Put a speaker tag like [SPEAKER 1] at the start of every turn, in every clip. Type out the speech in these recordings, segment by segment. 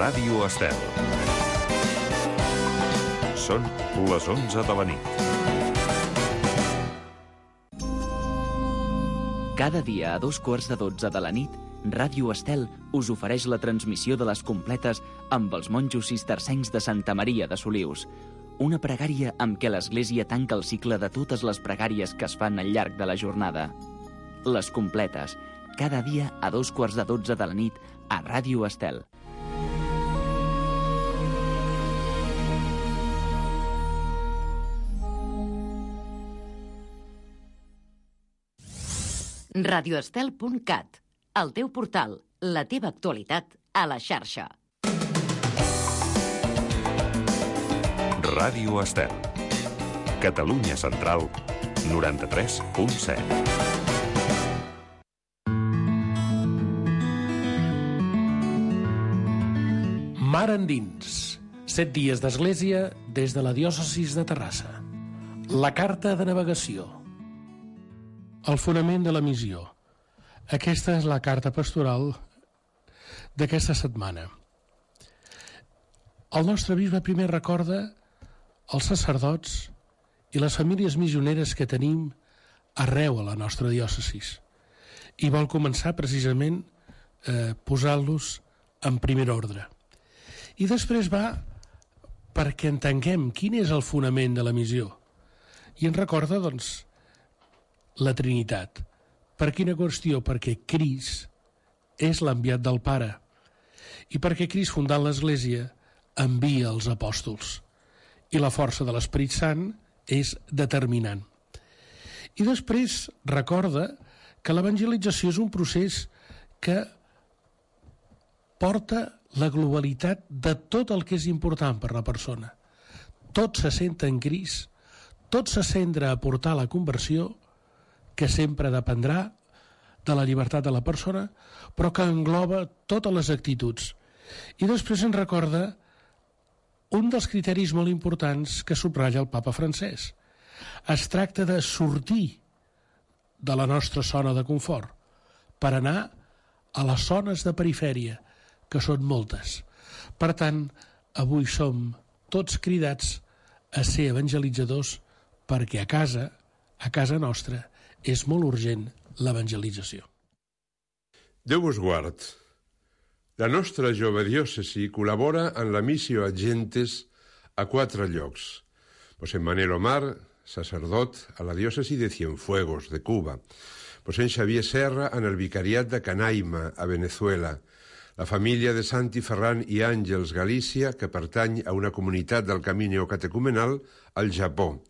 [SPEAKER 1] Ràdio Estel. Són les 11 de la nit.
[SPEAKER 2] Cada dia a 2:15 de la nit, Ràdio Estel us ofereix la transmissió de les completes amb els monjos cistercencs de Santa Maria de Solius. Una pregària amb què l'Església tanca el cicle de totes les pregàries que es fan al llarg de la jornada. Les completes, cada dia a 2:15 de la nit a Ràdio Estel.
[SPEAKER 3] radioestel.cat, el teu portal, la teva actualitat a la xarxa.
[SPEAKER 1] Ràdio Estel. Catalunya Central, 93.7.
[SPEAKER 4] Mar endins. 7 dies d'església des de la diòcesis de Terrassa. La carta de navegació. El fonament de la missió. Aquesta és la carta pastoral d'aquesta setmana. El nostre bisbe primer recorda els sacerdots i les famílies missioneres que tenim arreu a la nostra diòcesis i vol començar precisament posant-los en primer ordre. I després va perquè entenguem quin és el fonament de la missió. I ens recorda, doncs, la Trinitat. Per quina qüestió? Perquè Crist és l'enviat del Pare i perquè Crist, fundant l'Església, envia els apòstols i la força de l'Esperit Sant és determinant. I després recorda que l'evangelització és un procés que porta la globalitat de tot el que és important per la persona. Tot se centra en Crist, tot se centra a portar la conversió, que sempre dependrà de la llibertat de la persona, però que engloba totes les actituds. I després ens recorda un dels criteris molt importants que subratlla el papa Francesc. Es tracta de sortir de la nostra zona de confort per anar a les zones de perifèria, que són moltes. Per tant, avui som tots cridats a ser evangelitzadors perquè a casa nostra, és molt urgent l'evangelització.
[SPEAKER 5] Déu us guard. La nostra jove diòcesi col·labora en la missió Agentes a 4 llocs. José Manuel Omar, sacerdot a la diòcesi de Cienfuegos, de Cuba. José Xavier Serra en el vicariat de Canaima, a Venezuela. La família de Santi Ferran i Àngels Galícia, que pertany a una comunitat del camí neocatecumenal al Japó.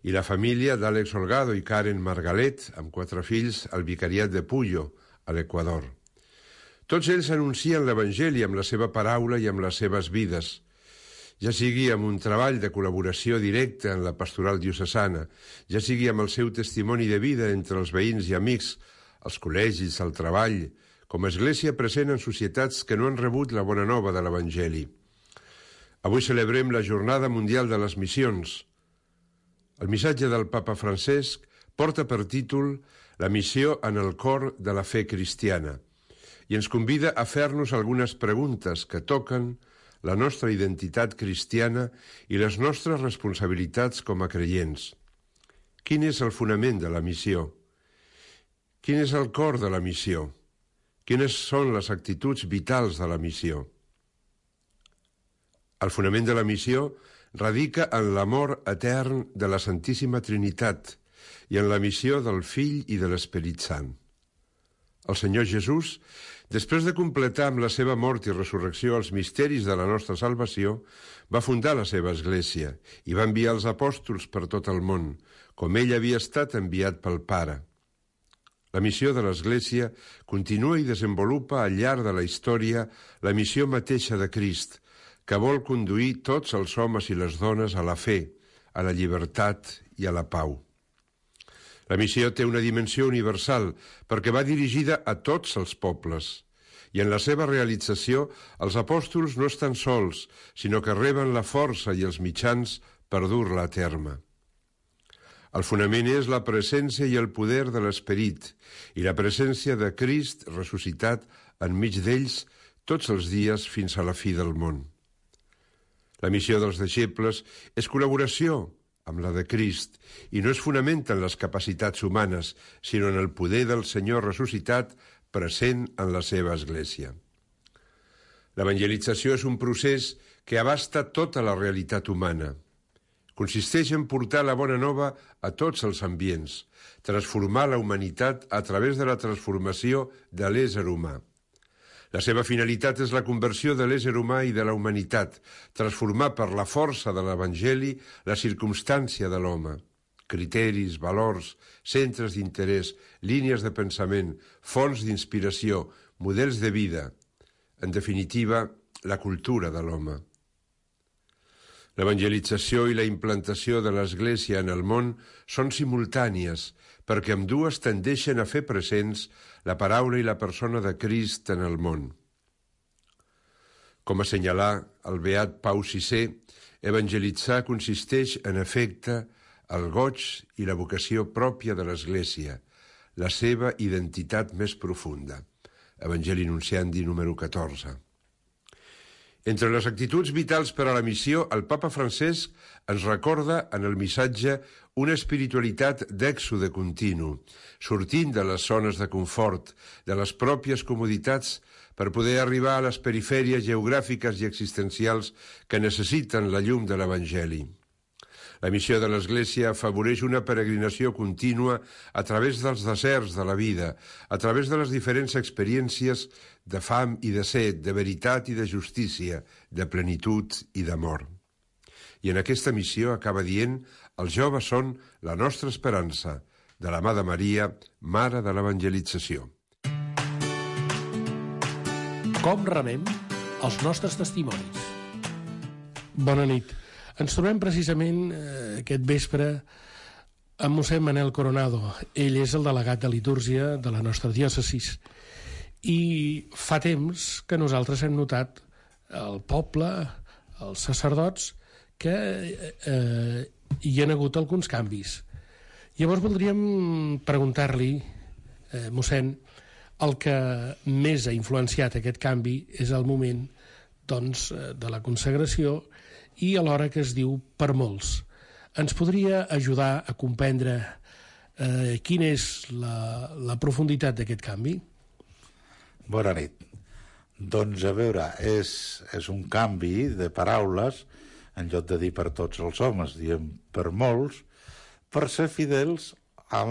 [SPEAKER 5] I la família d'Àlex Holgado i Karen Margalet, amb 4 fills, al vicariat de Puyo, a l'Equador. Tots ells anuncien l'Evangeli amb la seva paraula i amb les seves vides, ja sigui amb un treball de col·laboració directa en la pastoral diocesana, ja sigui amb el seu testimoni de vida entre els veïns i amics, als col·legis, al treball, com a església present en societats que no han rebut la bona nova de l'Evangeli. Avui celebrem la Jornada Mundial de les Missions. El missatge del papa Francesc porta per títol La missió en el cor de la fe cristiana i ens convida a fer-nos algunes preguntes que toquen la nostra identitat cristiana i les nostres responsabilitats com a creients. Quin és el fonament de la missió? Quin és el cor de la missió? Quines són les actituds vitals de la missió? El fonament de la missió radica en l'amor etern de la Santíssima Trinitat i en la missió del Fill i de l'Esperit Sant. El Senyor Jesús, després de completar amb la seva mort i resurrecció els misteris de la nostra salvació, va fundar la seva església i va enviar els apòstols per tot el món, com ell havia estat enviat pel Pare. La missió de l'Església continua i desenvolupa al llarg de la història la missió mateixa de Crist, que vol conduir tots els homes i les dones a la fe, a la llibertat i a la pau. La missió té una dimensió universal perquè va dirigida a tots els pobles i en la seva realització els apòstols no estan sols, sinó que reben la força i els mitjans per dur-la a terme. El fonament és la presència i el poder de l'Esperit i la presència de Crist ressuscitat enmig d'ells tots els dies fins a la fi del món. La missió dels deixebles és col·laboració amb la de Crist i no es fonamenta en les capacitats humanes, sinó en el poder del Senyor ressuscitat present en la seva Església. L'evangelització és un procés que abasta tota la realitat humana. Consisteix en portar la bona nova a tots els ambients, transformar la humanitat a través de la transformació de l'ésser humà. La seva finalitat és la conversió de l'ésser humà i de la humanitat, transformar per la força de l'Evangeli la circumstància de l'home. Criteris, valors, centres d'interès, línies de pensament, fonts d'inspiració, models de vida. En definitiva, la cultura de l'home. L'evangelització i la implantació de l'Església en el món són simultànies, perquè ambdues tendeixen a fer presents la paraula i la persona de Crist en el món. Com assenyalà el beat Pau VI, evangelitzar consisteix, en efecte, el goig i la vocació pròpia de l'Església, la seva identitat més profunda. Evangeli Nunciandi, número 14. Entre les actituds vitals per a la missió, el papa Francesc ens recorda en el missatge una espiritualitat d'èxode continu, sortint de les zones de confort, de les pròpies comoditats, per poder arribar a les perifèries geogràfiques i existencials que necessiten la llum de l'Evangeli. La missió de l'Església afavoreix una peregrinació contínua a través dels deserts de la vida, a través de les diferents experiències de fam i de set, de veritat i de justícia, de plenitud i d'amor. I en aquesta missió acaba dient: els joves són la nostra esperança, de la mà de Maria, mare de l'evangelització.
[SPEAKER 4] Com remem els nostres testimonis? Bona nit. Ens trobem precisament aquest vespre amb mossèn Manel Coronado. Ell és el delegat de litúrgia de la nostra diòcesis. I fa temps que nosaltres hem notat al poble, als sacerdots, que hi ha hagut alguns canvis. Llavors voldríem preguntar-li, mossèn, el que més ha influenciat aquest canvi és el moment, doncs, de la consagració i alhora que es diu per molts. Ens podria ajudar a comprendre quina és la profunditat d'aquest canvi?
[SPEAKER 6] Bona nit. Doncs a veure, és un canvi de paraules, en lloc de dir per tots els homes, diem per molts, per ser fidels a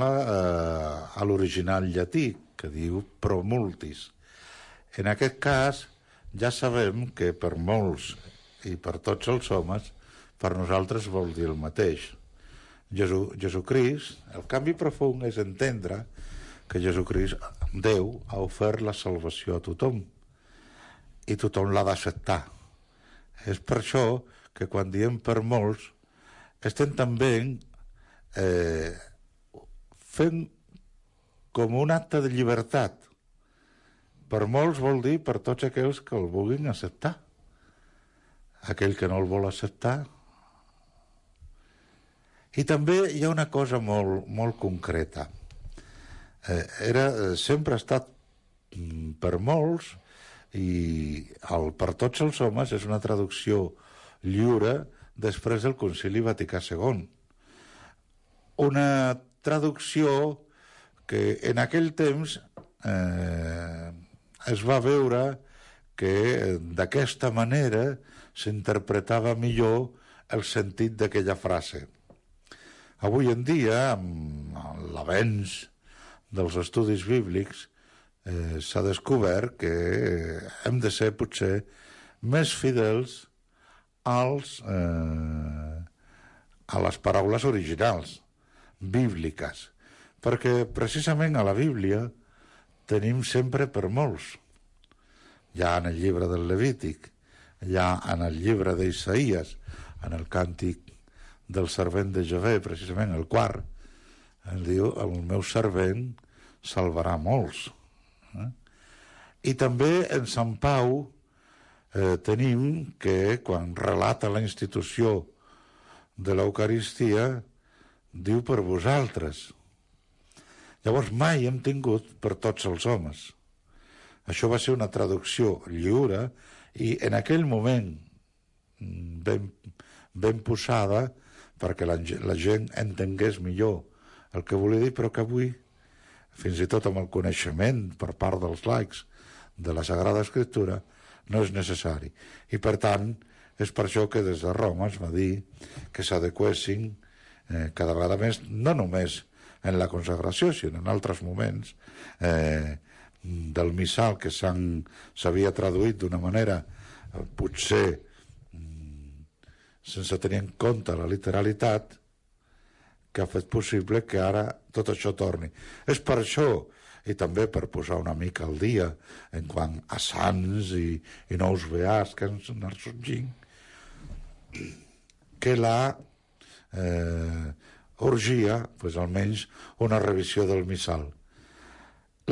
[SPEAKER 6] l'original llatí, que diu pro multis. En aquest cas, ja sabem que per molts i per tots els homes, per nosaltres vol dir el mateix. Jesucrist, el canvi profund és entendre que Jesucrist, Déu, ha ofert la salvació a tothom i tothom l'ha d'acceptar. És per això que quan diem per molts estem també fent com un acte de llibertat. Per molts vol dir per tots aquells que el vulguin acceptar. Aquell que no el vol acceptar. I també hi ha una cosa molt concreta. Sempre ha estat per molts i el per tots els homes és una traducció lliure després del Concili Vaticà II. Una traducció que en aquell temps es va veure que d'aquesta manera s'interpretava millor el sentit d'aquella frase. Avui en dia, amb l'avenç dels estudis bíblics, s'ha descobert que hem de ser potser més fidels a les paraules originals, bíbliques, perquè precisament a la Bíblia tenim sempre per molts. Ja en el llibre del Levític, ja en el llibre d'Isaïes, en el càntic del servent de Javé, precisament el quart, ens diu: el meu servent salvarà molts. I també en Sant Pau tenim que quan relata la institució de l'Eucaristia diu per vosaltres. Llavors mai hem tingut per tots els homes. Això va ser una traducció lliure i en aquell moment ben posada perquè la gent entengués millor el que volia dir, però que avui, fins i tot amb el coneixement per part dels laics de la Sagrada Escriptura, no és necessari. I per tant, és per això que des de Roma es va dir que s'adequessin cada vegada més, no només en la consagració, sinó en altres moments del missal que s'havia traduït d'una manera potser sense tenir en compte la literalitat, que ha fet possible que ara tot això torni. És per això, i també per posar una mica al dia en quant a sants i nous beats que ens anar sorgint, que la urgia, pues, almenys una revisió del missal.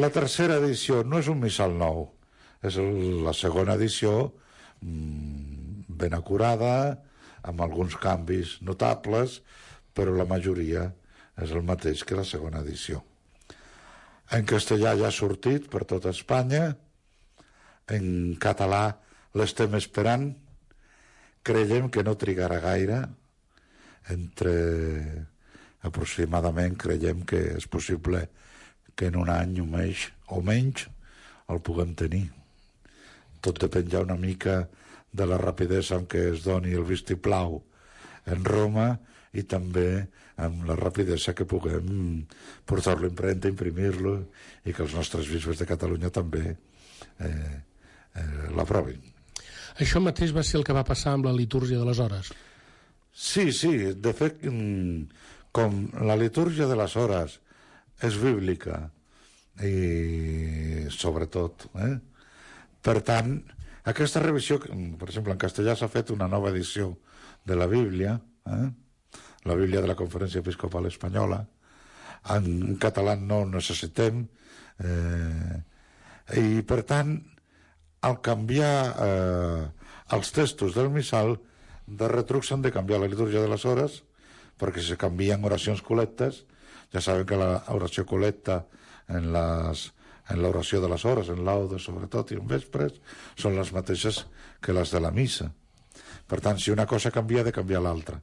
[SPEAKER 6] La tercera edició no és un missal nou, és la segona edició ben acurada, amb alguns canvis notables, però la majoria és el mateix que la segona edició. En castellà ja ha sortit per tota Espanya, en català l'estem esperant, creiem que no trigarà gaire, aproximadament creiem que és possible que en un any o menys el puguem tenir. Tot depèn ja una mica de la rapidesa amb què es doni el vistiplau en Roma i també amb la rapidesa que puguem portar-lo a impremta, imprimir-lo i que els nostres bisbes de Catalunya també l'aprovin.
[SPEAKER 4] Això mateix va ser el que va passar amb la litúrgia de les hores.
[SPEAKER 6] Sí, de fet, com la litúrgia de les hores és bíblica i sobretot, per tant, aquesta revisió, per exemple, en castellà s'ha fet una nova edició de la Bíblia, la Bíblia de la Conferència Episcopal Espanyola, en català no necessitem, i per tant, al canviar els textos del missal, de retruc s'han de canviar la litúrgia de les hores, perquè se canvien oracions col·lectes. Ja saben que l'oració col·lecta en l'oració de les hores, en laudes sobretot i en vespres, són les mateixes que les de la missa. Per tant, si una cosa canvia, ha de canviar l'altra.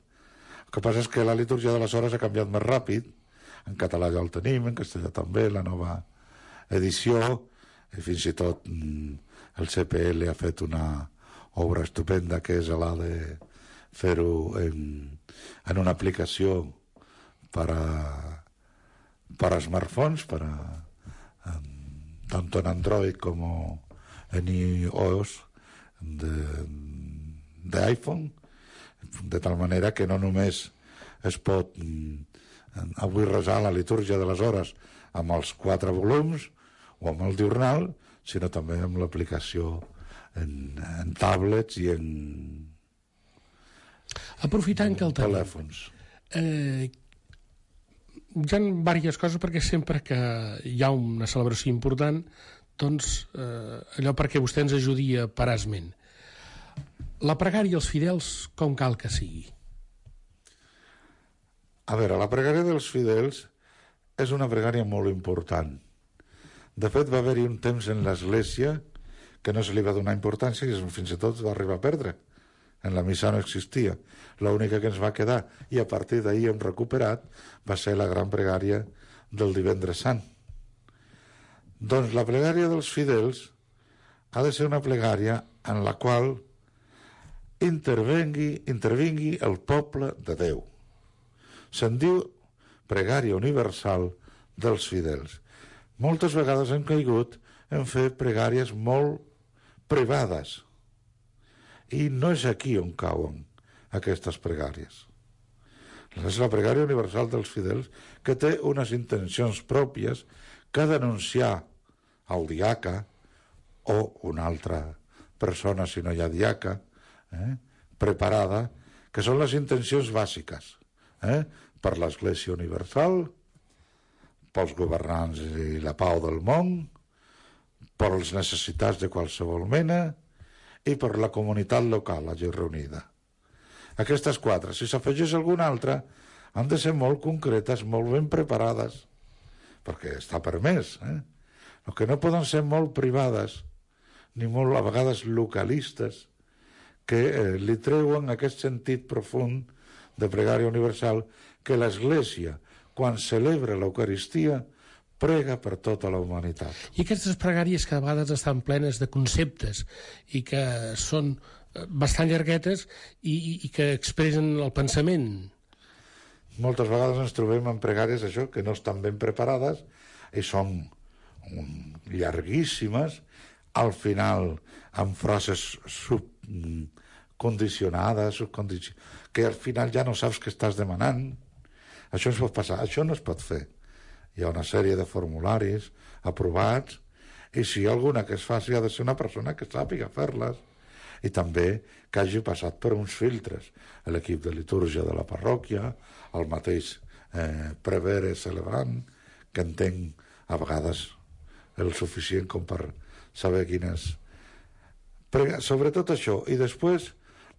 [SPEAKER 6] El que passa és que la litúrgia de les hores ha canviat més ràpid, en català ja el tenim, en castellà també, la nova edició, i fins i tot el CPL ha fet una obra estupenda que és la de fer-ho en una aplicació per a smartphones, tanto en Android como en iOS de iPhone, de tal manera que no només es pot avui resar la litúrgia de les hores amb els 4 volums o amb el diurnal, sinó també amb l'aplicació en tablets i en
[SPEAKER 4] aprofitant que el
[SPEAKER 6] telèfons.
[SPEAKER 4] Hi ha diverses coses, perquè sempre que hi ha una celebració important, doncs allò perquè vostè ens ajudi a parar esment. La pregària als fidels, com cal que sigui?
[SPEAKER 6] A veure, la pregària dels fidels és una pregària molt important. De fet, va haver-hi un temps en l'Església que no se li va donar importància i fins i tot va arribar a perdre. En la missa no existia. L'única que ens va quedar, i a partir d'ahir hem recuperat, va ser la gran pregària del Divendres Sant. Doncs la pregària dels fidels ha de ser una pregària en la qual intervingui el poble de Déu. Se'n diu pregària universal dels fidels. Moltes vegades hem caigut en fer pregàries molt privades, i no és aquí on cauen aquestes pregàries. És la pregària universal dels fidels, que té unes intencions pròpies que ha d'anunciar al diaca o una altra persona, si no hi ha diaca, preparada, que són les intencions bàsiques per l'Església Universal, pels governants i la pau del món, per les necessitats de qualsevol mena i per la comunitat local allí reunida. Aquestes 4, si s'afegeix alguna altra, han de ser molt concretes, molt ben preparades, perquè està permès. el que no poden ser molt privades, ni molt a vegades localistes, que li treuen aquest sentit profund de pregària universal, que l'Església, quan celebra l'Eucaristia, prega per tota la humanitat.
[SPEAKER 4] I aquestes pregàries que a vegades estan plenes de conceptes i que són bastant llarguetes i que expressen el pensament.
[SPEAKER 6] Moltes vegades ens trobem en pregàries això, que no estan ben preparades i són llarguíssimes, al final amb frases condicionades, que al final ja no saps què estàs demanant. Això ens pot passar, això no es pot fer. Hi ha una sèrie de formularis aprovats i si hi ha alguna que es faci ha de ser una persona que sàpiga fer-les i també que hagi passat per uns filtres. L'equip de litúrgia de la parròquia, el mateix prevere celebrant, que entenc a vegades el suficient com per saber quines... Sobretot això. I després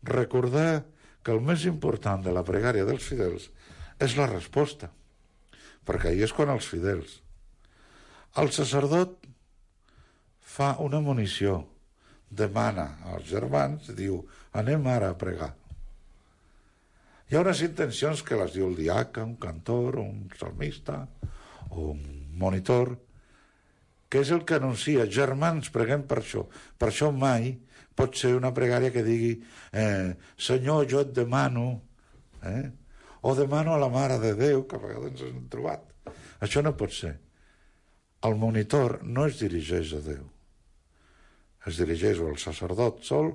[SPEAKER 6] recordar que el més important de la pregària dels fidels és la resposta, perquè ahir és quan els fidels. El sacerdot fa una monició, demana als germans, diu, anem ara a pregar. Hi ha unes intencions que les diu el diaca, un cantor, un salmista o un monitor, que és el que anuncia, germans, preguem per això. Per això mai pot ser una pregària que digui Senyor, jo et demano, o demano a la Mare de Déu, que a vegades ens hem trobat. Això no pot ser. El monitor no es dirigeix a Déu. Es dirigeix o al sacerdot sol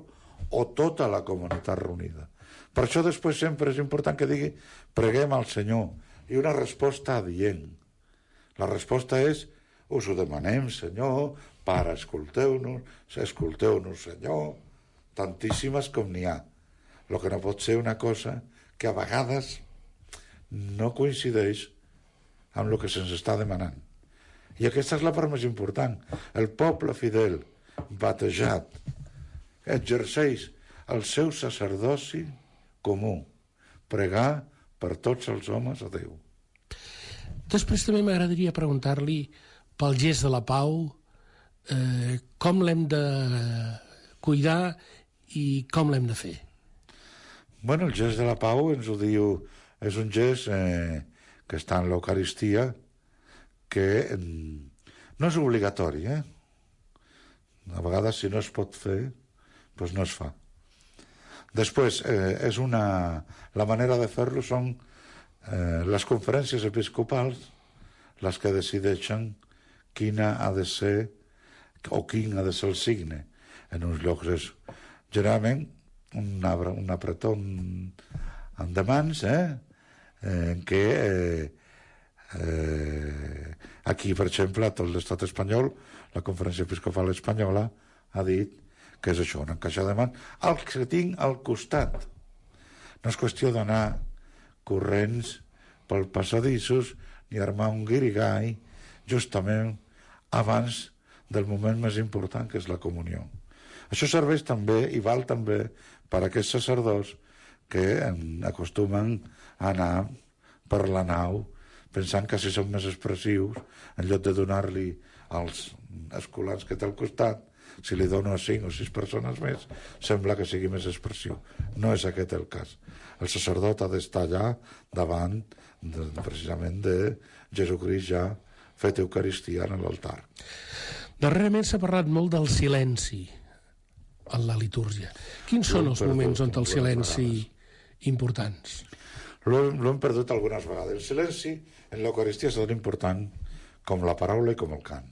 [SPEAKER 6] o tota la comunitat reunida. Per això després sempre és important que digui preguem al Senyor i una resposta adient. La resposta és us ho demanem, Senyor, Pare, escolteu-nos, Senyor, tantíssimes com n'hi ha. El que no pot ser una cosa que a vegades no coincideix amb el que se'ns està demanant. I aquesta és la part més important. El poble fidel, batejat, exerceix el seu sacerdoci comú, pregar per tots els homes a Déu.
[SPEAKER 4] Després també m'agradaria preguntar-li pel gest de la pau, com l'hem de cuidar i com l'hem de fer?
[SPEAKER 6] Bueno, el gest de la pau ens ho diu, és un gest que està en l'Eucaristia, que no és obligatori, A vegades, si no es pot fer, doncs no es fa. Després, la manera de fer-lo són les conferències episcopals les que decideixen quina ha de ser o quin ha de ser el signe. En uns llocs és generalment un apretó en mans, en què aquí, per exemple, a tot l'estat espanyol, la Conferència Episcopal Espanyola ha dit que és això, una caixa de mans, el que tinc al costat. No és qüestió d'anar corrents pel passadissos ni armar un guirigall justament abans del moment més important, que és la comunió. Això serveix també i val també per a aquests sacerdots que acostumen a anar per la nau pensant que si són més expressius, en lloc de donar-li als escolans que té al costat, si li dono a 5 o 6 persones més, sembla que sigui més expressiu. No és aquest el cas. El sacerdot ha d'estar allà davant precisament de Jesucrist ja fet Eucaristia en l'altar.
[SPEAKER 4] Darrerament s'ha parlat molt del silenci en la litúrgia. Quins són els moments on el silenci importants?
[SPEAKER 6] L'hem perdut algunes vegades. El silenci en l'Eucaristia és tan important com la paraula i com el cant.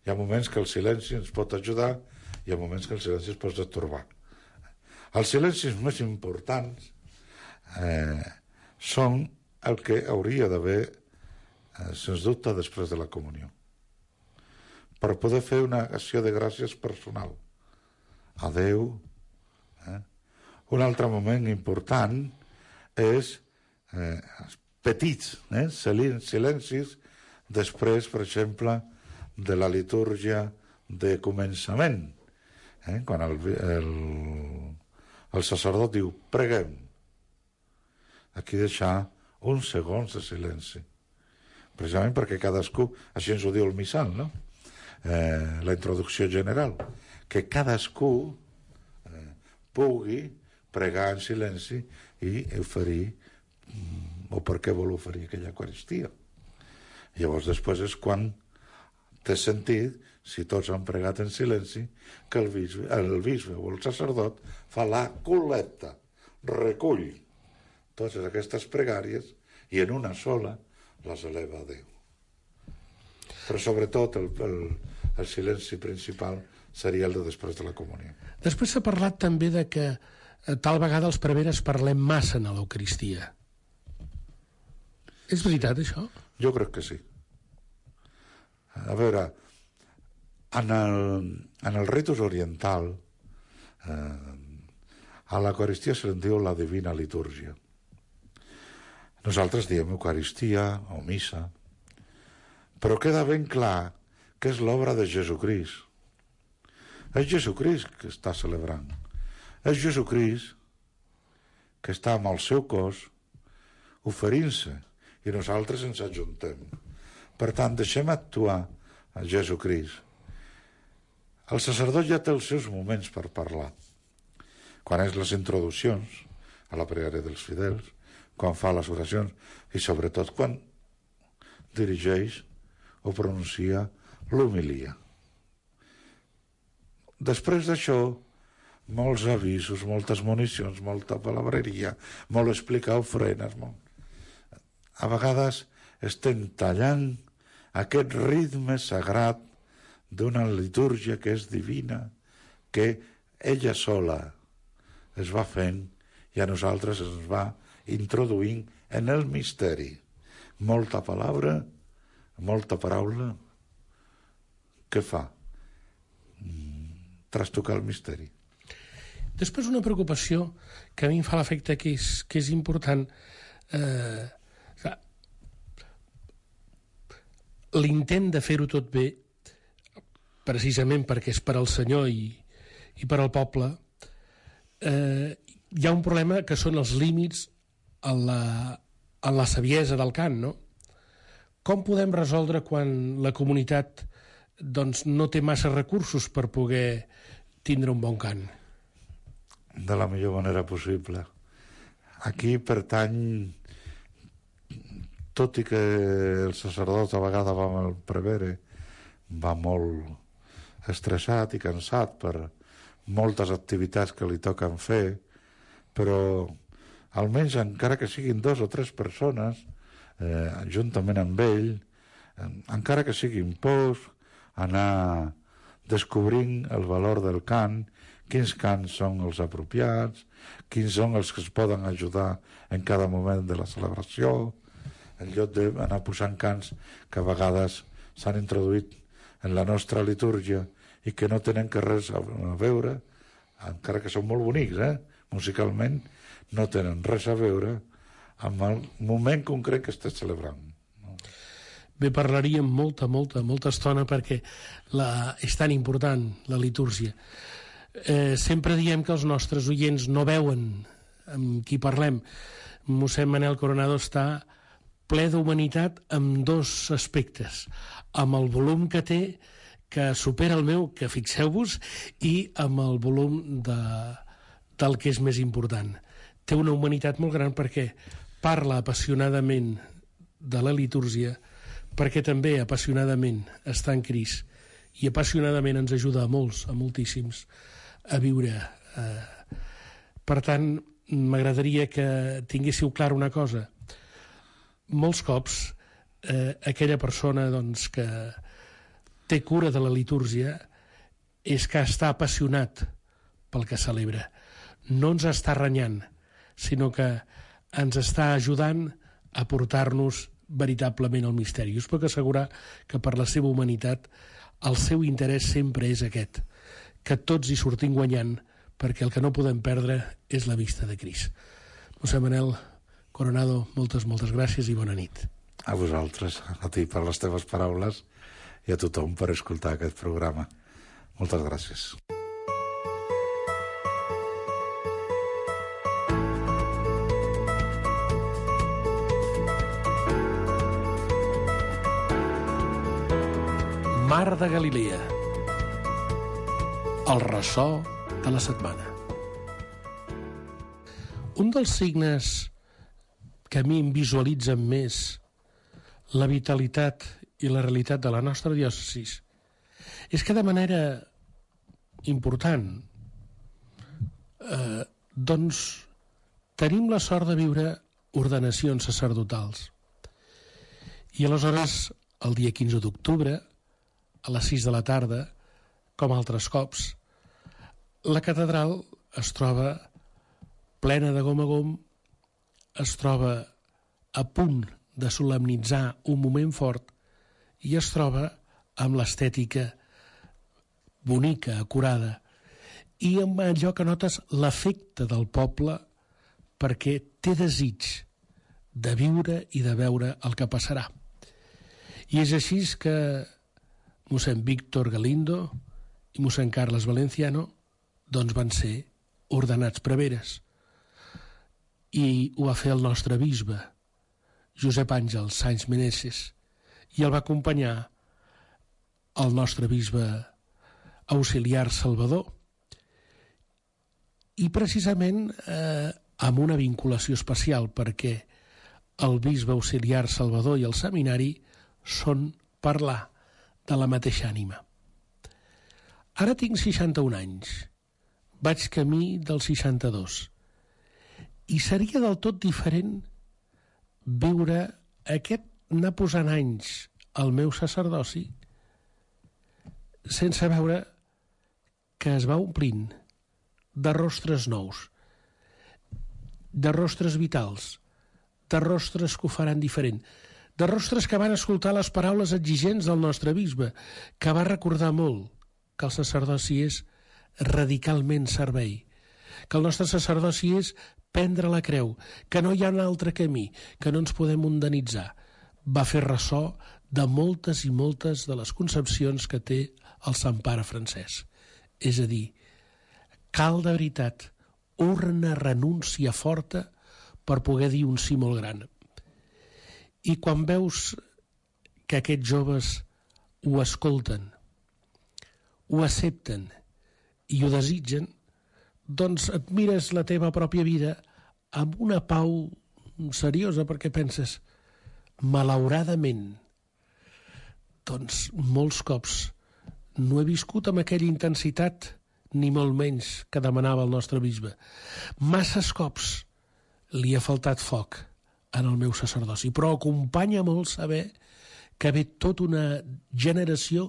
[SPEAKER 6] Hi ha moments que el silenci ens pot ajudar i hi ha moments que el silenci es pot detorbar. Els silencis més importants són el que hauria d'haver, sens dubte, després de la comunió, per poder fer una acció de gràcies personal a Déu. Un altre moment important és petits silencis després, per exemple, de la litúrgia de començament, quan el sacerdot diu preguem, aquí deixar uns segons de silenci, precisament perquè cadascú, així ens ho diu el missal, no? la introducció general, que cadascú pugui pregar en silenci i oferir o per què vol oferir aquella Eucaristia. Llavors després és quan té sentit, si tots han pregat en silenci, que el bisbe o el sacerdot fa la col·lecta, recull totes aquestes pregàries i en una sola les eleva a Déu. Però sobretot el silenci principal seria el de després de la comunió.
[SPEAKER 4] Després s'ha parlat també de que tal vegada els preveres parlem massa en l'Eucaristia. És veritat, això?
[SPEAKER 6] Jo crec que sí. A veure, en el ritus oriental a l'Eucaristia se diu la divina litúrgia. Nosaltres diem Eucaristia o missa, però queda ben clar que és l'obra de Jesucrist. És Jesucrist que està celebrant. És Jesucrist que està amb el seu cos oferint-se i nosaltres ens ajuntem. Per tant, deixem actuar a Jesucrist. El sacerdot ja té els seus moments per parlar. Quan és les introduccions a la pregària dels fidels, quan fa les oracions i sobretot quan dirigeix o pronuncia l'homilia. Després d'això, molts avisos, moltes municions, molta palabreria, molt explicar ofrenes. A vegades estem tallant aquest ritme sagrat d'una litúrgia que és divina, que ella sola es va fent i a nosaltres ens va introduint en el misteri. Molta paraula, què fa? Trastocar el misteri.
[SPEAKER 4] Després una preocupació que a mi em fa l'efecte que és important. L'intent de fer-ho tot bé, precisament perquè és per al Senyor i per al poble, hi ha un problema que són els límits en la saviesa del cant, no? Com podem resoldre quan la comunitat doncs, no té massa recursos per poder tindre un bon cant?
[SPEAKER 6] De la millor manera possible. Aquí pertany, tot i que el sacerdot a vegades va amb el prevere, va molt estressat i cansat per moltes activitats que li toquen fer, però almenys encara que siguin 2 o 3 persones, juntament amb ell, encara que siguin pocs, anar descobrint el valor del cant, quins cants són els apropiats, quins són els que es poden ajudar en cada moment de la celebració, en lloc d'anar posant cants que a vegades s'han introduït en la nostra litúrgia i que no tenen res a veure, encara que són molt bonics, musicalment, no tenen res a veure amb el moment concret que estàs celebrant.
[SPEAKER 4] Bé, parlaríem molta estona perquè és tan important la litúrgia. Sempre diem que els nostres oients no veuen amb qui parlem. Mossèn Manel Coronado està ple d'humanitat amb 2 aspectes. Amb el volum que té, que supera el meu, que fixeu-vos, i amb el volum del que és més important. Té una humanitat molt gran perquè parla apassionadament de la litúrgia, perquè també apassionadament està en Crist i apassionadament ens ajuda a molts, a moltíssims, a viure. Per tant, m'agradaria que tinguéssiu clar una cosa. Molts cops aquella persona doncs, que té cura de la litúrgia és que està apassionat pel que celebra. No ens està renyant, sinó que ens està ajudant a portar-nos veritablement al misteri. Us puc assegurar que per la seva humanitat el seu interès sempre és aquest, que tots hi sortim guanyant, perquè el que no podem perdre és la vista de Crist. Mossèn Manel Coronado, moltes gràcies i bona nit.
[SPEAKER 6] A vosaltres, a ti per les teves paraules i a tothom per escoltar aquest programa. Moltes gràcies.
[SPEAKER 4] Mar de Galilea. El ressò de la setmana. Un dels signes que a mi em visualitzen més la vitalitat i la realitat de la nostra diòcesi és que de manera important doncs tenim la sort de viure ordenacions sacerdotals. I aleshores, el dia 15 d'octubre, a les 6 de la tarda, com altres cops, la catedral es troba plena de gom a gom, es troba a punt de solemnitzar un moment fort i es troba amb l'estètica bonica, acurada, i amb allò que notes l'efecte del poble perquè té desig de viure i de veure el que passarà. I és així que mossèn Víctor Galindo i mossèn Carles Valenciano doncs van ser ordenats preveres. I ho va fer el nostre bisbe, Josep Àngel Sáenz Meneses, i el va acompanyar el nostre bisbe auxiliar Salvador, i precisament amb una vinculació especial, perquè el bisbe auxiliar Salvador i el seminari són parlar de la mateixa ànima. Ara tinc 61 anys, vaig camí dels 62, i seria del tot diferent viure anar posant anys al meu sacerdoci sense veure que es va omplint de rostres nous, de rostres vitals, de rostres que ho faran diferent, de rostres que van escoltar les paraules exigents del nostre bisbe, que va recordar molt que el sacerdoci és radicalment servei, que el nostre sacerdoci és prendre la creu, que no hi ha un altre camí, que no ens podem mundanitzar. Va fer ressò de moltes i moltes de les concepcions que té el Sant Pare Francesc. És a dir, cal de veritat una renúncia forta per poder dir un sí molt gran. I quan veus que aquests joves ho escolten, ho accepten i ho desitgen, doncs et mires la teva pròpia vida amb una pau seriosa, perquè penses, malauradament, doncs molts cops no he viscut amb aquella intensitat, ni molt menys que demanava el nostre bisbe. Masses cops li ha faltat foc en el meu sacerdoci, però acompanya molt saber que ve tota una generació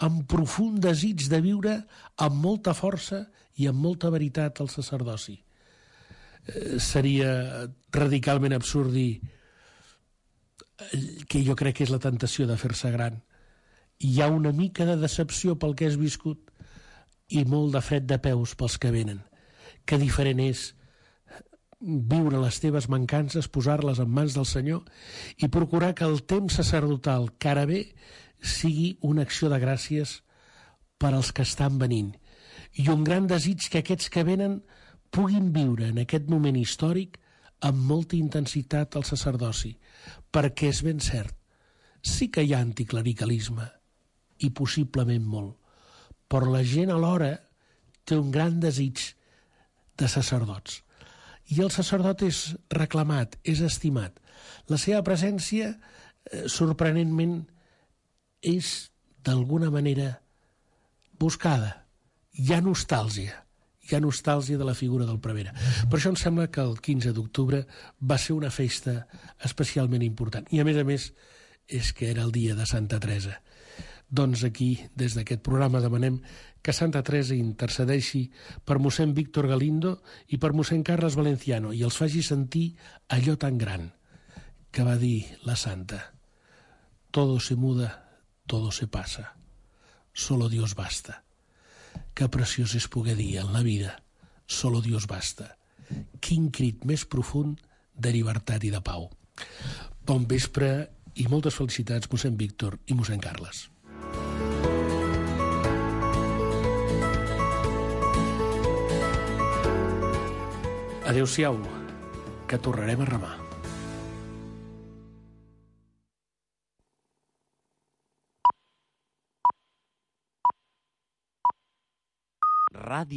[SPEAKER 4] amb profund desig de viure amb molta força i amb molta veritat el sacerdoci. Seria radicalment absurd dir que jo crec que és la tentació de fer-se gran. Hi ha una mica de decepció pel que has viscut i molt de fred de peus pels que venen. Que diferent és viure les teves mancances, posar-les en mans del Senyor i procurar que el temps sacerdotal que ara ve sigui una acció de gràcies per als que estan venint. I un gran desig que aquests que venen puguin viure en aquest moment històric amb molta intensitat el sacerdoci, perquè és ben cert, sí que hi ha anticlericalisme, i possiblement molt, però la gent alhora té un gran desig de sacerdots. I el sacerdot és reclamat, és estimat. La seva presència, sorprenentment, és d'alguna manera buscada. Hi ha nostàlgia de la figura del prevere. Per això em sembla que el 15 d'octubre va ser una festa especialment important. I a més, és que era el dia de Santa Teresa. Doncs aquí, des d'aquest programa, demanem que Santa Teresa intercedeixi per mossèn Víctor Galindo i per mossèn Carles Valenciano i els faci sentir allò tan gran que va dir la santa. Todo se muda, todo se pasa. Solo Dios basta. Que preciós és poder dir en la vida solo Dios basta. Quin crit més profund de llibertat i de pau. Bon vespre i moltes felicitats, mossèn Víctor i mossèn Carles. Adéu-siau, que tornarem a remar.
[SPEAKER 2] ràdio